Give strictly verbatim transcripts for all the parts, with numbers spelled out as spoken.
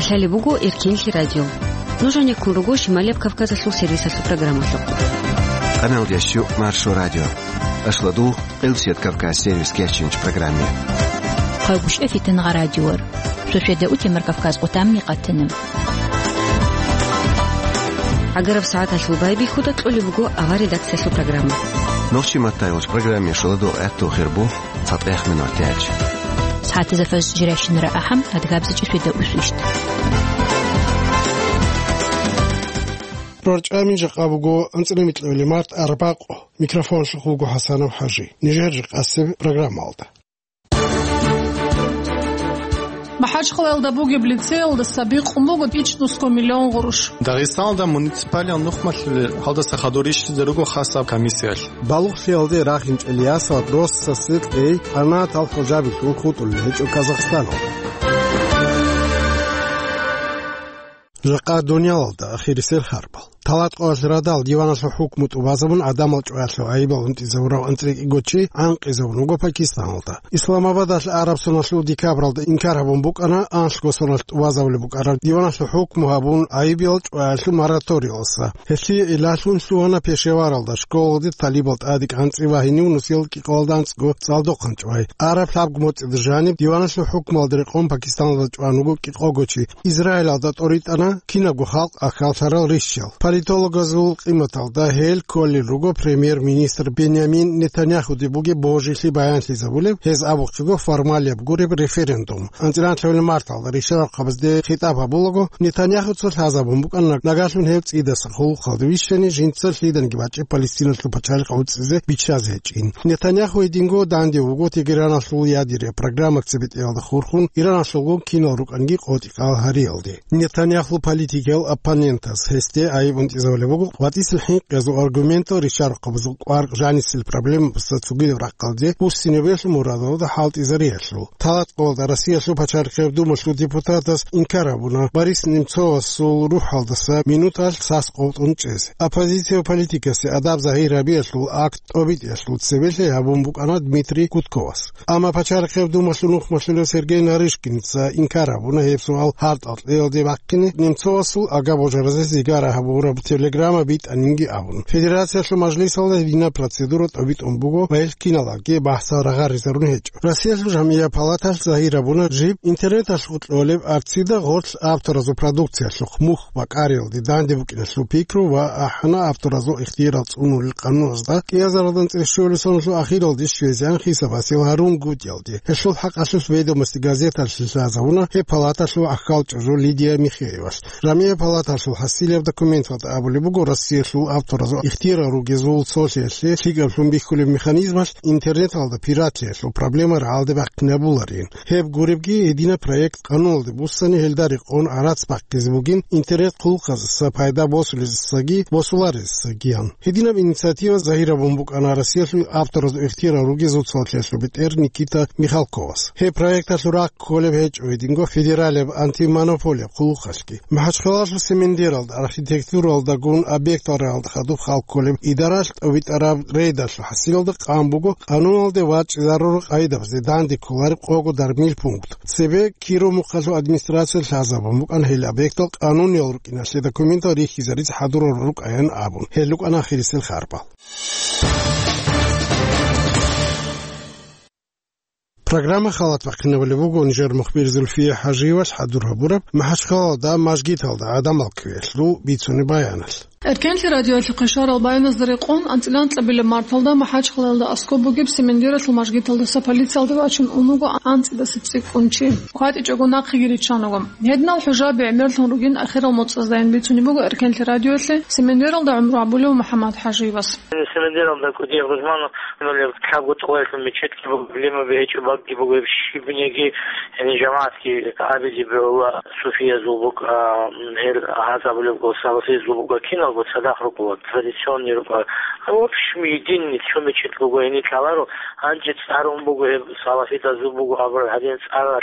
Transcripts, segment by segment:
Лъалеб буго Эркенлъи радио. Нуж гьанеккун руго Шималияб Кавказалъул сервисалъул программалъухъ. Къаналдящу Маршо радио. Ашладул Къилсият Кавказ сервис кечинч программе. Хъагушев Фитнагъа радиор. Шошеда утемар Кавказ къутамни къатана. Агараб сагӀаталъул байбихьуда кьолеб буго авар редакциялъул программа. Нохчи маттайолч программе шоладул гӀатту хирбу. ЦатӀех минутач. СагӀатазда фажр жирайщинара ахӀам, адгабзичӀи шведа усвищт. РорчӀами жакъа буго анцӀила микьули март арбакъо. Микрофон шухулго ХӀасанов ХӀажи. Нижер жакъасеб программалда. МахӀачхъалаялда бугеб лицеялдаса бикъун буго ичӀнусго миллион гъурущ. Дагъистаналда муниципалиал нухмалъулел гьалдаса хадур рищизе руго хасаб комиссиялъ. Балугълъиялде рахинчӀел ясал россасе кьей къанатал хӀужабилъун хутӀулел гьечӀо Казахстаналда. Жакъа дуниялалда ахирисел харбал. Талатъоялъ радал диваналъул хӀукму тӀубазабун, гӀадамал чӀваялъул гӀайибал унтӀизабурав анцӀила кӀиго чи гӀанкъизабун вуго Пакистаналда. Исламабадалъ араб соналъул декабралда инкар гьабун букӀана анлъго соналъ тӀубазабулеб букӀараб диваналъул хӀукму гьабун гӀайибал чӀваялъул мораториялдаса. Гьелъие гӀиллалъун лъугьана Пешеваралда школалде талибал тӀадекӀанцӀи ва гьенив нусиялда кӀикъоялда анцӀго цӀалдохъанчӀвай. Араб лъабго моцӀида жаниб диваналъул хӀукмуялда рекъон Пакистаналда чӀван вуго кӀикъого чи. Израилалда тӀоритӀана кинабго халкъ ахьаллъарал рищал. Политологазул къиматалда гьел кколел руго премьер-министр Бенямин Нетаньяхуде бугеб божилъи баянлъизабулеб, гьез абухъего формалияб гуреб референдум. АнцӀила лъабилеб марталда ришарахъабазде хитӀаб гьабулаго, Нетаньяхуца лъазабун букӀана, нагагьлъун гьев цӀидаса хъулухъалде вищани жинца лъиданги бачӀеб Палестиналъул пачалихъ гӀуцӀизе биччазе гьечӀин. Нетаньяху гьединго данде вуго Тегераналъул ядерия программа цебетӀеялда хурхун, Ираналъулгун кинал рукӀанги къотӀи-къал гьариялде. Нетаньяхул политикиял оппонентаз гьесде гӀайиб унтӀизабулеб буго ватӀисел хӀинкъиязул аргументал ришарахъабазул кӀвар жанисел проблемабазда цогидаб рахъалде буссинабиялъул мурадалда хӀалтӀизариялъул. Талатъоялда Россиялъул пачалихъияб думалъул депутатас инкар гьабуна Борис Немцовасул рухӀалдаса минуталъ сас къотӀун чӀезе. Оппозицияб политикасе адаб загьир гьабиялъул акт тӀобитӀиялъул цебелъи гьабун букӀана Дмитрий Гудковас. Амма пачалихъияб думалъул нухмалъулев Сергей Нарышкинца инкар гьабуна гьеб суал гьартӀал кьеялде бахъине, Немцовасул ага божаразе зигара гьабураб телеграмма битӀанинги абун. Федерациялъул мажлисалда гьединаб процедура тӀобитӀун буго ва гьел киналги бахӀсал рагъаризарун гьечӀо. Россиялъул жамгӀияб палаталъ загьир гьабуна жиб интернеталъухъ кьолеб арцида гъорлъ авторазул продукциялъухъ мухь бакӀариялде данде букӀиналъул пикру ва ахӀана авторазул ихтиярал цӀунулел къануналда кӀиазаралда анцӀила щуабилеб соналъул ахиралде щвезегӀан хисабасел гьарун гутӀиялде. Гьелъул хӀакъалъулъ «Ведомости» газеталъе лъазабуна гьеб палаталъул ахӀалчӀужу Лидия Михеевалъ. ЖамгӀияб палаталъул хӀасилеб документалда абулеб буго, Россиялъул авторазул ихтиярал ругезул цолъиялъе лъикӀаблъун бихьулеб механизмалъ интернеталда пиратлъиялъул проблема рагӀалде бахъинабуларин. Гьеб гуребги, гьединаб проект къануналде буссани гьелда рекъон гӀарац бахъизе бугин интернет хъулухъаздаса пайда босулезесаги босуларезесагиян. Гьединаб инициатива загьир гьабун букӀана Россиялъул авторазул ихтиярал ругезул цолъиялъул бетӀер Никита Михалковас. Гьеб проекталъул рахъ кколеб гьечӀо гьединго федералияб антимонополияб хъулухъалъги. МахӀачхъалалъул Семендералда архитектуралдагун объектал рагӀалда хадуб хал кколеб идаралъ тӀобитӀараб рейдалъул хӀасилалда къан буго къануналде вачӀизарурал къайдабазе данде кколареб къого дармил пункт. Цебе Киров мухъалъул администрация лъазабун букӀана гьел объектал къануниял рукӀиналъе документал рихьизаризе хӀадурал рукӀаян абун. Гьел рукӀана ахирисел харбал. Программа халат бахъинабулеб буго нижер мухбир Зульфия ХӀажиевалъ хӀадур гьабураб МахӀачхъалалда мажгиталда гӀадамал кквеялъул бицунеб баяналъ. Эркенлъи радиоялъухъе щварал баяназда рекъон, анцӀила анкьабилеб марталда МахӀачхъалаялда аскӀоб бугеб Семендералъул мажгиталдаса полициялде вачун ун вуго анцӀидаса цӀикӀкӀун чи. ХъватӀичӀого нахъеги риччан руго. Гьединал хӀужаби гӀемерлъун ругин ахирал моцӀаздайин бицунеб буго Эркенлъи радиоялъе Семендералда гӀумру гьабулев МухӀаммад ХӀажиевас. Семендералда кӀудияб рузмана лъабго тӀолаялъул мечетги буго, лимаби гьечӀо, багги буго, гьеб щибниги, яни жамагӀатги абизе бегьула, суфиязул буго, а, гьел гьаз абулеб буго, салафизул буго, киналго цадахъ руго, традиционный руго. А в общем, единый цо мечеть буго, гьениб лъаларо, гьанже цӀарун буго гьеб, салафидазул буго абураб гьадин цӀаралъ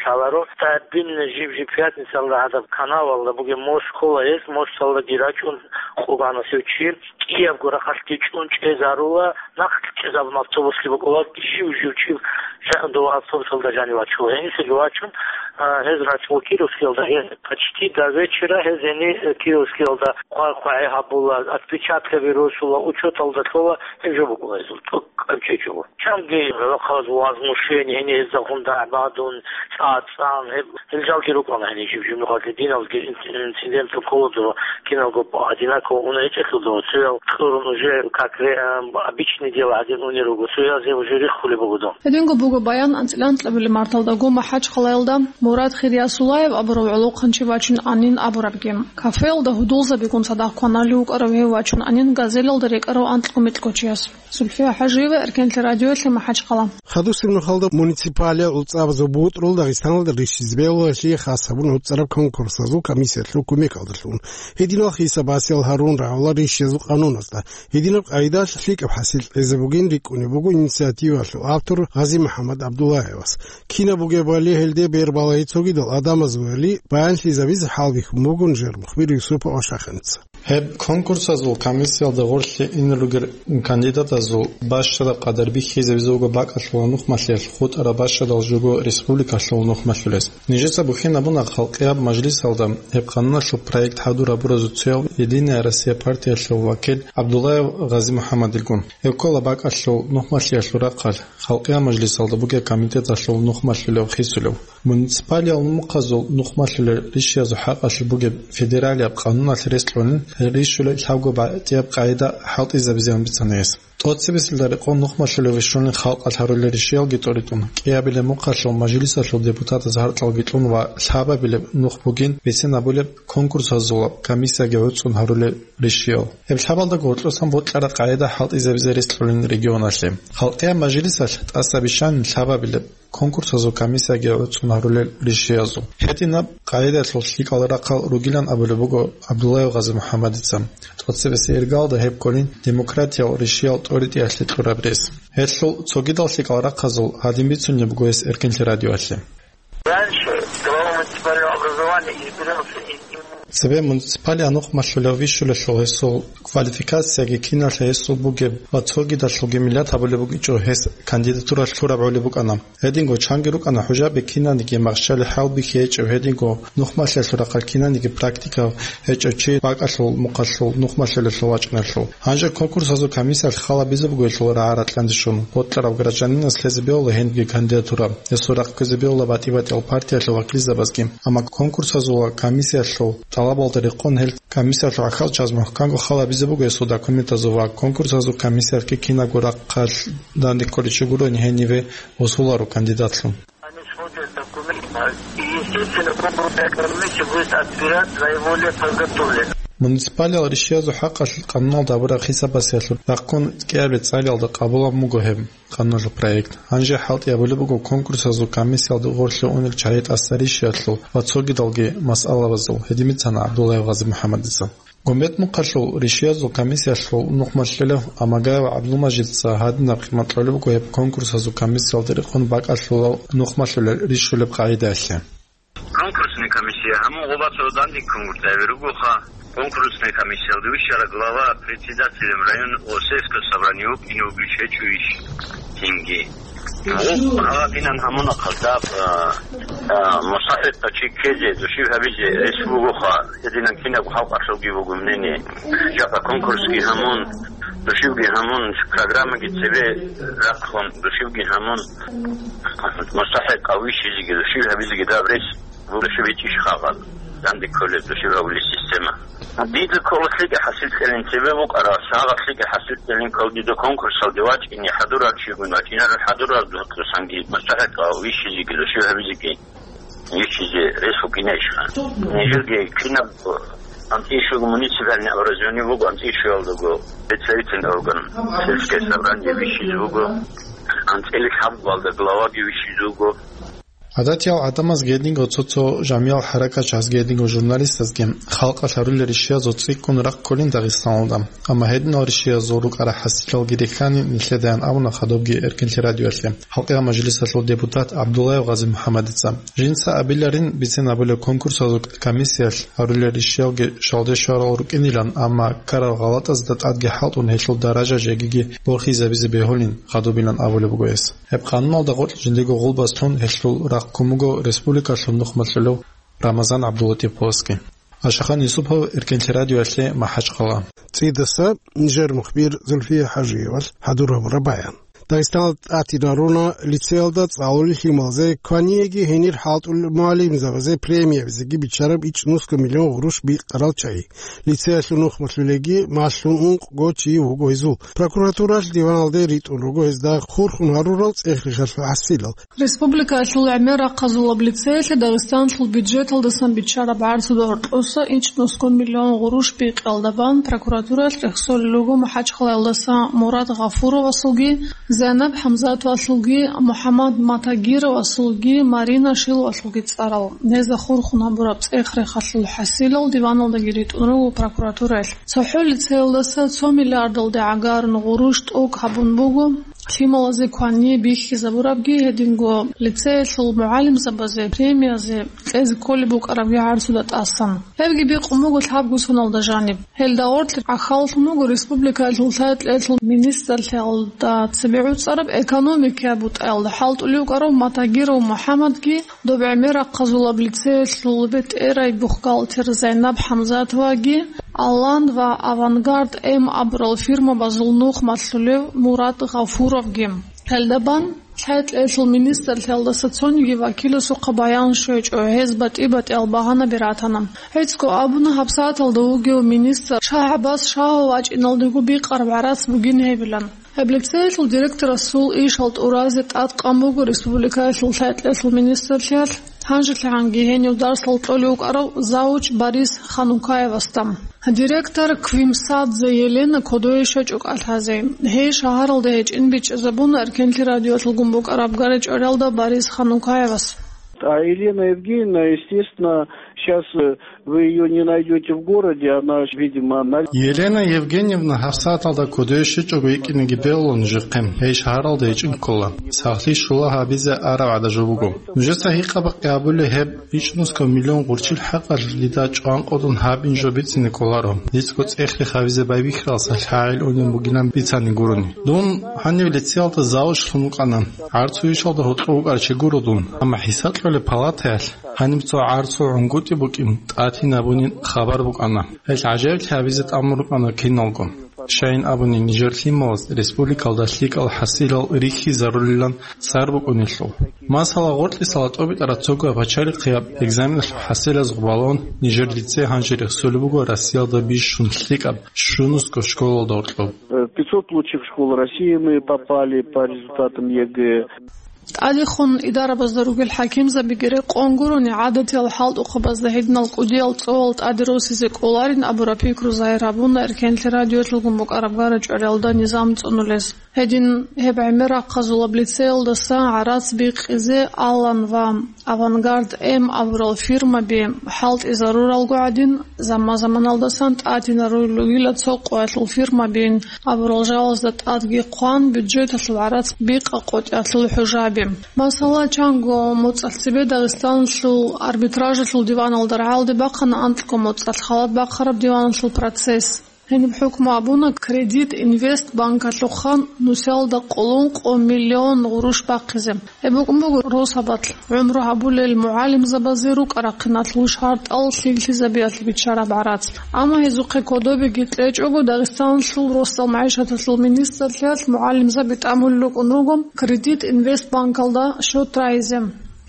лъаларо. Стабильно жиб-жиб пятницалда гьадаб канавалда бугеб мост ккола гьес, мосталдаги рачӀун къо бана цев чи. КӀиябго рахъалъги чӀун чӀезарула, нахъ чӀезабун автобуслъи букӀула, жив-жив чи ЖагӀундул автобусалда жанив вачула. Гьениса вачун, а, гьез рачӀула Кировскиялда. Гьез почти до вечера гьез гьенир, э, Кировскиялда хъвай-хъвагӀи гьабула, отпечаткаби росула, учеталда лъола, гьеб жо букӀуна гьезул, цӀакъ къанчӀечӀого. Чанги рахъаз возмущение, гьенир гьезда гьунда гӀабадун, цӀа-цӀан, гьеб, гьел жалги рукӀана гьенир жиб-жиб нухалъе, диналги инц-, инцидент ккола дова, киналго одинаково уна гьечӀелъул дова, цоял кьурун уже как ре-, а, обычный дело гьадин унел руго, цоязе уже риххулеб буго дун. Гьединго буго баян анцӀила анкьабилеб марталдаго МахӀачхъалаялда Мурад Хириясуллаев абурав гӀолохъанчи вачун анин абурабги. Кафеялда гьудулзабигун цадахъ кваналев вукӀарав гьев вачун анин газелалда рекӀарав анкьго-микьго чияс. Зульфия ХӀажиева, Эркенлъи радиоялъе, МахӀачхъала. Хадусеб нухалда муниципалиял гӀуцӀабазул бутӀрул Дагъистаналда рищизе бегьуларелъи хас гьабун гӀуцӀараб конкурсазул комиссиялъул кумекалдалъун. Гьединал хисабасиял гьарун рагӀула рищиязул къануназда. Гьединаб къайдалъ лъикӀаб хӀасил кьезе бугин рикӀкӀунеб буго инициативалъул автор Гъази-МухӀаммад ГӀабдуллаевас. Кинаб бугебали гьелде бербалаги цогидал адамазулали баянлъизабизе хӀалбихьун бугун жер мухбир Юсупов Ашаханица. Гьеб конкурсазул комиссиялда гъорлъе ин ругел кандидатазул бащадаб къадар бихьизабизе буго бакӀалъула нухмалъиялъ хутӀараб бащадал жого республикалъул нухмалъулес. Нижеца бухьинабуна халкъияб мажлисалда гьеб къануналъул проект хӀадур гьабуразул цояв Единая Россия партиялъул вакил ГӀабдуллаев Гъази-МухӀаммадилгун. Гьев ккола бакӀалъул нухмалъиялъул рахъалъ, халкъияб мажлисалда бугеб комитеталъул нухмалъулев хисулев. Муниципалиял мухъазул нухмалъулел рищиязул хӀакъалъулъ бугеб федералияб къануналъ рес кьунин, гьел рищулел лъабго батӀияб къагӀида хӀалтӀизабизеян бицана гьес. ТӀоцебесилда рекъон нухмалъулев вищунин халкъалъ гьарулел рищиялги тӀоритӀун, кӀиабилеб мухъалъул мажлисалъул депутатаз гьаркьалги кьун ва лъабабилеб нух бугин бицин абулеб конкурсазул комиссияги гӀуцӀун гьарулел рищиял. Гьеб лъабалдаго гьоркьосан бокьараб къагӀида хӀалтӀизабизе рес кьунин регионалъе. Халкъияб мажлисалъ тӀаса бищанин лъабабилеб конкурсазул комиссияги гӀуцӀун гьарулел рищиязул. Гьединаб къагӀидалъул лъикӀал рахъал ругилан абулеб буго ГӀабдуллаев Гъази-МухӀаммадица. ТӀоцебесеб иргалда гьеб кколин демократиял рищиял тӀоритӀиялъе кьураб рес. Гьелъул цогидал лъикӀал рахъазул гьадин бицунеб буго гьес Эркенлъи радиоялъе. Раньше глава муниципального образования избирался из Цебе муниципалияб нухмалъулев вищулелъул гьесул квалификацияги киналъе гьесул бугеб ва цогидалъулги миллат гьабулеб букӀинчӀо гьес кандидатура лъураб гӀолеб букӀана. Гьединго чанги рукӀана хӀужаби кинаниги махщали хӀалбихьи гьечӀев, гьединго нухмалъиялъул рахъалъ кинаниги практика гьечӀев чи бакӀалъул мухъалъул нухмалъулелъул вачӀиналъул. Гьанже конкурсазул комиссиялъ хал гьабизе буго гьелъул рагӀа-ракьанде щун, бокьарав гражданинас лъезе бегьула гьенибги кандидатура, гьесул рахъ кквезе бегьула батӀи-батӀиял партиялъул вакилзабазги. Амма конкурсазул ва комиссиялъул тӀалабалда рекъон гьел комиссиялъул гӀахьалчияз мухӀканго хал гьабизе буго гьесул документазул ва конкурсазул комиссиялъги кинабго рахъалъ данде кколичи гурони гьениве усуларо кандидатлъун. Они смотрят документ, и, естественно, конкурсная комиссия будет отбирать наиболее подготовленных. Муниципалиял рищиязул хӀакъалъ къануналда гьабураб хисабасиялъул рахъун кӀиабилеб цӀалиялда къабулаб буго гьеб къануналъул проект. Гьанже хӀалтӀи гьабулеб буго конкурсазул комиссиялда гъорлъе унел чагӀи тӀаса рищиялъул ва цогидалги масъалабазул, гьедин бицана ГӀабдуллаев Гъази-МухӀаммадица. Гумбет мухъалъул рищиязул комиссиялъул нухмалъулев Амагаев ГӀабдулмажидица гьадинаб къимат кьолеб буго гьеб конкурсазул комиссиялда рекъон бакӀалъулал нухмалъулел рищулеб къагӀидаялъе. Конкурсная комиссия гьамун гъоба цо данде конкурс гьаби ругоха. Конкурсная комиссиялда вищараб глава председателем районного сельского собрания вукӀине вугищ гьечӀо иш? Цинги. Гъоб гьабинан гьамуна хъалдаб, а, а, мусахӀикъав чи ккезе, души гьабизе рес бугоха, гьединан кинаб халкъалъулги буго мнение. Жакъа конкурсги гьамун, душивги гьамун, программаги цебе рахъун, душивги гьамун, мусахӀикъав вищизеги, души гьабизеги даб рес буго, души бичӀищ хабал, данде кколеб души гьабулеб система. Дида ккола лъикӀа хӀасил кьелин цебе букӀарас, гьагъаб лъикӀа хӀасил кьелин ккола дида конкурсалде вачӀине хӀадурал чигун вачӀинарал хӀадурал духъусанги, мустахӀикъав вищизеги, души гьабизеги, вищизе рес букӀинайищха. Нижерги кинаб анцӀила ишуго муниципальный образование буго, анцӀила ишуялдаго представительный орган, сельское собрание вищизе буго, анцӀила лъабгуялда главаги вищизе вуго. ГӀадатиял гӀадамаз гьединго цо-цо жамиял хӀаракатчияз гьединго журналистазги халкъалъ гьарулел ришиязул цӀикӀкӀун рахъ кколин Дагъистаналда. Амма гьединал ришиязул рукӀарал хӀасилалги рихьани нилъедаян абуна хадубги Эркенлъи радиоялъе гьалкьигӀаб мажлисалъул депутат ГӀабдуллаев Гъази МухӀаммадица. Жинца абиларин бицен абулеб конкурсазул комиссиялъ гьарулел ришиялги щвалде щварал рукӀинилан, амма ккарал гъалатӀазда тӀадги хӀалтӀун гьелъул даража жегиги борхизабизе бегьулин хадубилан абулеб буго гьес. Гьеб къануналда гъоркь жиндего гъулбас лъун гьелъул рахъ ккун буго республикалъул нухмалъулев Рамазан ГӀабдулатиповасги. Ашахан Юсупов, Эркенлъи радиоялъе, МахӀачхъала. ЦӀидаса нижер мухбир Зульфия ХӀажиевалъ хӀадур гьабураб баян. Дагъистаналда тӀатинаруна лицеялда цӀалулел лъималазе кваниеги гьенир хӀалтӀулел мугӀалимзабазе премиябизеги биччараб ичӀнусго миллион гъурущ бикъарал чагӀи. Лицеялъул нухмалъулеги малъун ункъго чи вуго гьезул. Прокуратуралъ диваналде ритӀун руго гьезда хурхун гьарурал цӀех-рехалъул хӀасилал. Республикаялъул гӀемер рахъазулаб лицеялъе Дагъистаналъул бюджеталдасан биччараб гӀарцуда гьоркьоса ичӀнусго миллион гъурущ бикъиялда бан прокуратуралъ рехсолел руго МахӀачхъалаялдаса Мурад Гъафуровасулги, Зайнаб ХӀамзатовалъулги, МухӀаммад Матагировасулги, Марина Шиловалъулги цӀарал. Гьезда хурхун гьабураб цӀех-рехалъул хӀасилал диваналдаги ритӀун руго прокуратураялъ. ЦохӀо лицеялдаса цо миллиардалде гӀагарун гъурущ тӀокӀ гьабун буго лъималазе квание бихьизабурабги, гьединго лицеялъул мугӀалимзабазе премиязе кьезе кколеб букӀарабги гӀарцуда тӀасан. Гьебги бикъун буго лъабго соналда жаниб. Гьелда гъоркь гӀахьаллъун буго республикаялъул лъай-кьеялъул министрлъиялда цебе гӀуцӀараб экономикияб бутӀаялда хӀалтӀулев вукӀарав Матагиров МухӀаммадги, доб гӀемер рахъазулаб лицеялъул бетӀерай бухгалтер Зайнаб ХӀамзатоваги, Алан ва Авангард М абурал фирмабазул нухмалъулев Мурад Гъафуровги. Гьелда бан лъай-кьеялъул министрлъиялдаса цониги вакиласухъа баян щвечӀо, гьез батӀи-батӀиял багьанаби ратана. ГӀицӀго абуна гьабсагӀаталда вугев министр ШагӀбаз Шагьов вачӀиналдего бикъараб гӀарац бугин гьебилан. Гьеб лицеялъул директорасул ишал тӀуразе тӀадкъан буго республикаялъул лъай-кьеялъул министрлъиялъ, гьанжелъагӀанги гьенив дарсал кьолев вукӀарав завуч Борис Ханукаевасда. Директор Квимсадзе Елена кодове щвечӀо кӀалъазе. Гьей шагьаралда гьечӀин бичӀчӀизабуна Эркенлъи радиоялъулгун букӀараб гъоркь чӀвариялда Борис Ханукаевас. А Елена Евгеньевна, естественно, сейчас, э, вы её не найдёте в городе, она, видимо, на... Елена Евгеньевна гьабсагӀаталда кодове щвечӀого йикӀинеги бегьула нужехъе, гьей шагьаралда гьечӀин ккола. Сахлъи щула гьабизе араб гӀадаб жо буго. Нужеца гьикъа-бакъи гьабулеб гьеб ичӀнусго миллион гъурчил хӀакъалъулъ дида чӀванкъудун гьабин жо бицине кӀоларо, дицаго цӀех-рех гьабизе байбихьаралдаса лъагӀел унеб бугилан бицани гурони. Дун гьанив лицеялда завучлъун вукӀана. ГӀарцул ишалда гьоркьов вукӀарав чи гуро дун, амма хӀисаб кьолеб палатаялъ гьаниб цо гӀарцул гӀунгутӀи букӀин тӀатинабунин хабар букӀана. Гьелъ гӀажаиблъи гьабизе тӀамун рукӀана киналго. Щайин абуни, нижер лъималаз республикалда лъикӀал хӀасилал рихьизарулилан цӀар букӀунелъул. Масала, гъоркьисала тӀобитӀараб цого пачалихъияб экзаменалъул хӀасилаз гъубалун, нижер лицей гьанже рехсолеб буго Россиялда бищун лъикӀаб щунусго школалда гьоркьоб. Э, пятьсот лучших школ России мы попали по результатам ЕГЭ. ТӀадехун идарабазда ругел хӀакимзабиги рекъон гурони, гӀадатиял хӀалтӀухъабазда гьединал кӀудиял цӀолал тӀаде росизе кӀоларин абураб пикру загьир гьабуна Эркенлъи радиоялъулгун букӀараб гъоркь чӀвариялда низам цӀунулез. Гьедин гьеб гӀемер рахъазулаб лицеялдаса гӀарац бикъизе Алан ва Авангард М абурал фирмаби хӀалтӀизаруралго гӀадин, заман-заманалдасан тӀатинарулел ругила цо къоялъул фирмабин абурал жалазда тӀадги хъван, бюджеталъул гӀарац бикъа-къотӀиялъул хӀужаби. Масала, чанго моцӀалъ цебе Дагъистаналъул арбитражалъул диваналда рагӀалде бахъана анкьго моцӀалъ халат бахъараб диваналъул процесс. Гьениб хӀукму абуна Кредит Инвест банкалъухъан нусиялда къоло ункъо миллион гъурущ бахъизе. Гьеб букӀун буго росабалъ гӀумру гьабулел мугӀалимзабазе рукӀа-рахъиналъул шартӀал лъикӀлъизабиялъе биччараб гӀарац. Амма гьезухъе кодобеги кьечӀого, Дагъистаналъул росдал магӀишаталъул министрлъиялъ мугӀалимзаби тӀамулел рукӀун руго Кредит Инвест банкалда счет рагьизе.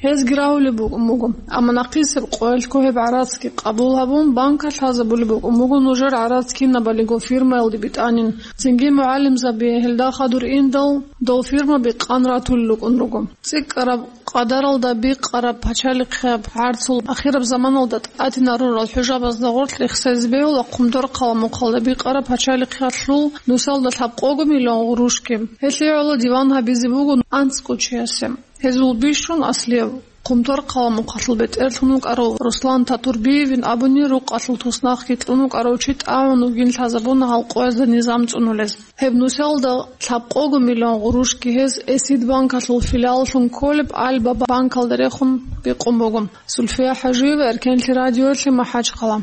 Гьезги рагьулеб букӀун буго. Амма нахъисеб къоялъго гьеб гӀарацги къабул гьабун, банкалъ лъазабулеб букӀун буго нужер гӀарац кинабалиго фирмаялде битӀанин. Цинги мугӀалимзаби гьелда хадур индал, дол фирмаби къан ратулел рукӀун руго. ЦӀикӀкӀараб къадаралда бикъараб пачалихъияб гӀарцул ахираб заманалда тӀатинарурал хӀужабазда гъоркь рехсезе бегьула Хъумдор хъала-мухъалда бикъараб пачалихъиялъул нусалда лъабкъого миллион гъурущги. Гьелъие гӀоло диван гьабизе буго анцӀго чиясе. Гьезул бищун аслияв Хъумторхъала мухъалъул бетӀерлъун вукӀарав Руслан Татурбиевин абуни, рукъалъул туснахъги кьун вукӀарав чи тӀагӀун вугин лъазабуна гьал къоязда низам цӀунулез. Гьеб нусиялда лъабкъого миллион гъурущги гьез Эсид банкалъул филиалалъун кколеб Альба банкалда рехун бикъун буго. Сульфия ХӀажиева, Эркенлъи радиоялъе, МахӀачхъала.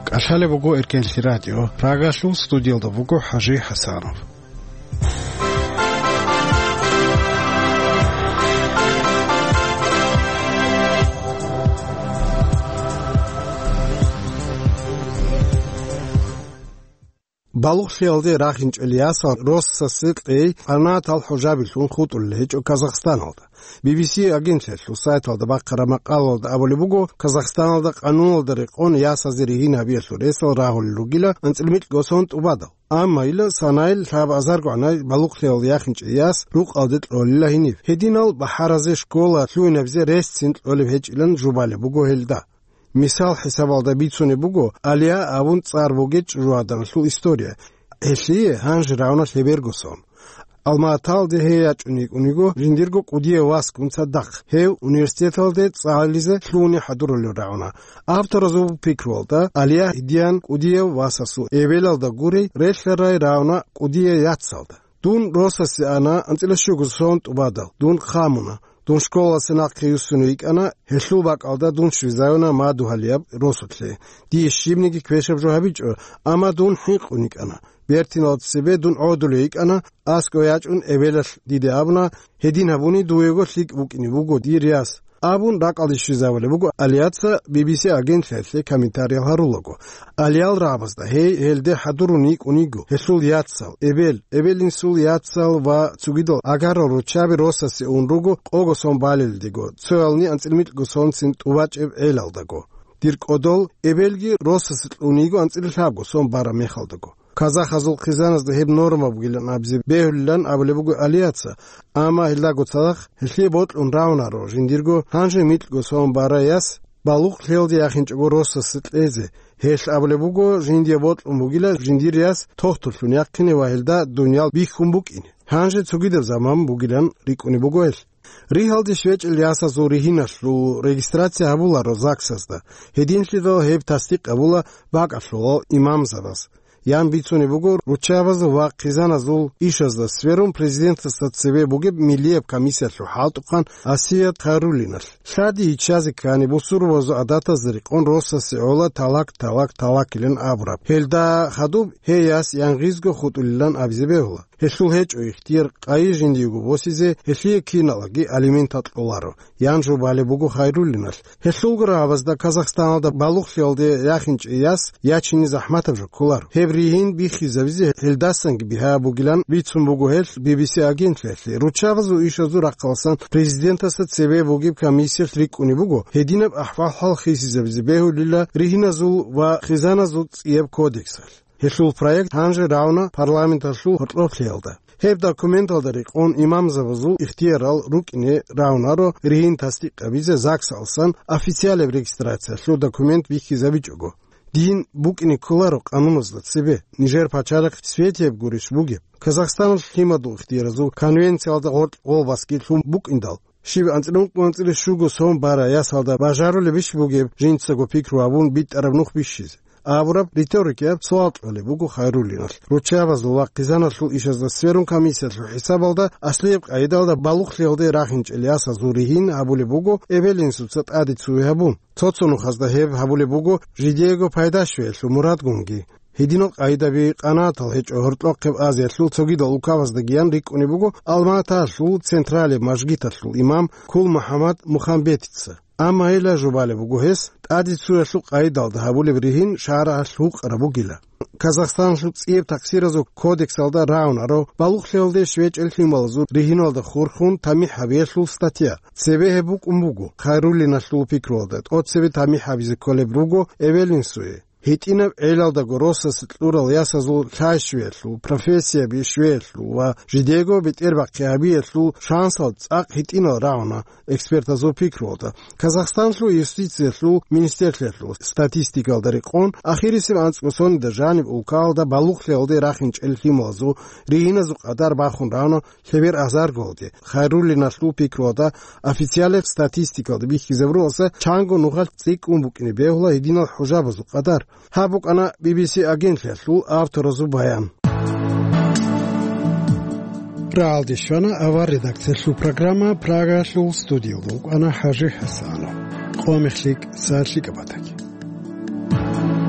КӀалъалеб буго Эркенлъи радио. Прагалъул студиялда буго ХӀажи ХӀасанов. Балугълъиялде рахинчӀел ясал росасе кьей къанагӀатал хӀужабилъун хутӀулел гьечӀо Казахстаналда. Би би си агентлъиялъул сайталда бахъараб макъалалда абулеб буго, Казахстаналда къануналда рекъон ясазе ригьин гьабиялъул ресал рагьулел ругила анцӀила микьго сон тӀубадал. Амма ила санайил лъабазаргогӀанай балугълъиялде яхинчӀей яс рукъалде кьолила гьениб. Гьединал бахӀаразе школа лъугьинабизе ресцин кьолеб гьечӀилан жубалеб буго гьелда. Мисал хӀисабалда бицунеб буго Алия абун цӀар бугеб чӀужугӀаданалъул история. Гьелъие гьанже равна лъеберго сон. Алма-Аталде гьей ячӀун йикӀун йиго жиндирго кӀудияв васгун цадахъ, гьев университеталде цӀализе лъугьуни хӀадурулел рагӀуна. Авторазул пикруялда, Алия гьедиян кӀудияв васасул эбелалда гурей релълъарай рагӀуна кӀудияв яцалда. Дун росасе ана анцӀила щуго сон тӀубадал, дун хъамуна. Дун школалъе нахъе юссунев йикӀана, гьелъул бакӀалда дун щвезавуна мадугьалияб росулъе. Дие щибниги квешаб жо гьабичӀо, амма дун хӀинкъун йикӀана. Бертиналда цебе дун гӀодулев йикӀана, аскӀов ячӀун эбелалъ диде абуна, гьедин гьабуни дуего лъикӀ букӀине буго дир яс, абун ракӀалде щвезабулеб буго Алияца Би Би Си агентлъиялъе комментариял гьарулаго. Алиял рагӀабазда гьей гьелде хӀадурун йикӀун йиго, гьелъул яцал, эбел, эбел-инсул яцал ва цогидал агарал руччаби росасе ун руго къого сон балелдего, цоялни анцӀила микьго сонцин тӀубачӀеб гӀелалдаго. Дир кӀодол, эбелги росасе кьун йиго анцӀила лъабго сон бараб мехалдаго. Казахазул хъизаназда гьеб норма бугилан абизе бегьулилан абулеб буго Алияца, амма гьелдаго цадахъ гьелъие бокьун равунаро жиндирго гьанже микьго сон барай яс балугълъиялде яхинчӀого росасе кьезе. Гьелъ абулеб буго, жиндие бокьун бугила жиндир яс тохтуллъун яхъине ва гьелда дуниял бихьун букӀине. Гьанже цогидаб заман бугилан рикӀкӀунеб буго гьелъ. Ригьалде щвечӀел ясазул ригьиналъул регистрация гьабуларо ЗАГСазда. Гьединлъидал гьеб тасдикъ гьабула бакӀалъулал имамзабаз. Ян бицунеб буго руччабазул ва хъизаназул ишазда сверун президентасда цебе бугеб миллияб комиссиялъул хӀалтӀухъан Асият Хайруллиналъ. Лъади иччазе ккани бусурбабазул гӀадатазда рекъон росасе гӀола талак, талак, талакилан абураб. Гьелда хадуб гьей яс янгъизго хутӀулилан абизе бегьула. Гьелъул гьечӀо ихтияр къайи жиндиего босизе, гьелъие киналаги алиментал кьоларо, ян жубалеб буго Хайруллиналъ. Гьелъулго рагӀабазда Казахстаналда балугълъиялде яхинчӀей яс ячине захӀматаб жо кколаро. Гьеб ригьин биххизабизе гьелдасанги бигьа бугилан бицун буго гьелъ Би Би Си агентлъиялъе, руччабазул ишазул рахъаласан президентасда цебе бугеб комиссиялъ рикӀкӀунеб буго, гьединаб ахӀвал-хӀал хисизабизе бегьулила ригьиназул ва хъизаназул цӀияб кодексалъ. Гьелъул проект гьанже равна парламенталъул гьоркьоблъиялда. Гьеб документалда рекъон имамзабазул ихтиярал рукӀине равунаро ригьин тасдикъабизе ЗАГСалсан официалеб регистрациялъул документ бихьизабичӀого. Дин букӀине кколаро къануназда цебе, нижер пачалихъ светияб гурищ бугеб. Казахстаналъ лъимадул ихтияразул конвенциялда гъоркь гъолбасги лъун букӀиндал, щиб анцӀила ункъо анцӀила щуго сон бара ясалда бажарулебищ бугеб жинцаго пикру гьабун битӀараб нух бищизе? Абураб риторикаяб суал кьолеб буго Хайруллиналъ. Руччабазул ва хъизаналъул ишазда сверун комиссиялъул хӀисабалда аслияб къайдалда балугълъиялде рахинчӀел ясазул ригьин гьабулеб буго эбел-инсуца тӀаде цуе гьабун. Цо-цо нухазда гьеб гьабулеб буго жидеего пайда щвеялъул мурадгунги. Гьединал къайдаби къанагӀатал гьечӀо гьоркьохъеб Азиялъул цогидал улкабаздагиян рикӀкӀунеб буго Алма-Аталъул централеб мажгиталъул имам Кул МухӀаммад Мухамбетица. Амма гьелда жубалеб буго гьес, тӀаде цуялъул къайдалда гьабулеб ригьин шаргӀалъ гьукъараб бугила. Казахстаналъул цӀияб такъсиразул кодексалда рагӀунаро балугълъиялде щвечӀел лъималазул ригьиналда хурхун тамихӀ гьабиялъул статья. Цебе гьеб букӀун буго, Хайруллиналъул пикруялда, тӀоцебе тамихӀ гьабизе кколеб руго эбел-инсуе. ГьитӀинаб гӀелалдаго росас кьурал ясазул лъай щвеялъул, профессияби щвеялъул ва жидего бетӀербахъи гьабиялъул шансал цӀакъ гьитӀинал рагӀуна экспертазул пикруялда. Казахстанлъул юстициялъул министрлъиялъул статистикалда рекъон, ахирисеб анцӀго соналда жаниб улкаялда балугълъиялде рахинчӀел лъималазул ригьиназул къадар бахун рагӀуна лъебер азаргоялде. Хайруллиналъул пикруялда, официалаб статистикалда бихьизабуралдаса, чанго нухалъ цӀикӀкӀун букӀине бегьула гьединал хӀужабазул къадар. Гьаб букӀана Би Би Си агентлъиялъул авторазул баян. Рагьалде щвана авар редакциялъул программа, Прагаялъул студиялда вукӀана ХӀажи ХӀасанов. Къо мехлъи, сагӀат лъикӀаб батаги.